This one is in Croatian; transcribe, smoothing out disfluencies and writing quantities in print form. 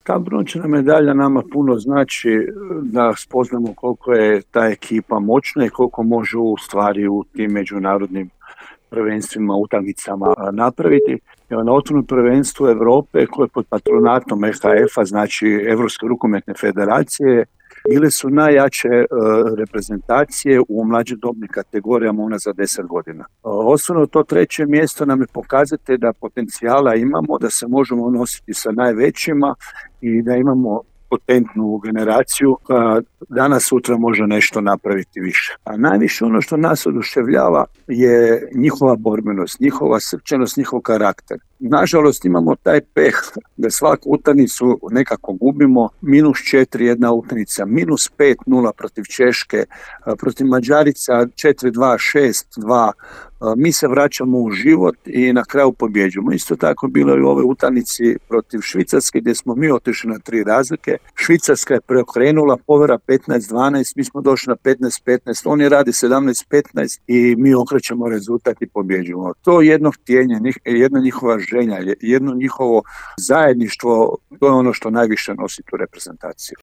Ta brončana medalja nama puno znači da spoznamo koliko je ta ekipa moćna i koliko može u stvari u tim međunarodnim prvenstvima, utakmicama napraviti. Evo, na otvorenom prvenstvu Europe koje je pod patronatom EHF-a, znači Europske rukometne federacije, bile su najjače reprezentacije u mlađim dobnim kategorijama unazad 10 godina. Osnovno to treće mjesto nam je pokazati da potencijala imamo, da se možemo nositi sa najvećima i da imamo potentnu generaciju koja danas sutra može nešto napraviti više. A najviše ono što nas oduševljava je njihova borbenost, njihova srčanost, njihov karakter. Nažalost imamo taj peh da svaku utakmicu nekako gubimo, -4 jedna utakmica, -5-0 protiv Češke, protiv Mađarica 4-2, 6-2, mi se vraćamo u život i na kraju pobjeđujemo. Isto tako bilo je u ovoj utakmici protiv Švicarske gdje smo mi otišli na 3 razlike. Švicarska je preokrenula, povera 15-12, mi smo došli na 15-15, oni radi 17-15 i mi okrećemo rezultat i pobjeđujemo. To jedno htjenje, jedna njihova želja, jedno njihovo zajedništvo, to je ono što najviše nosi tu reprezentaciju.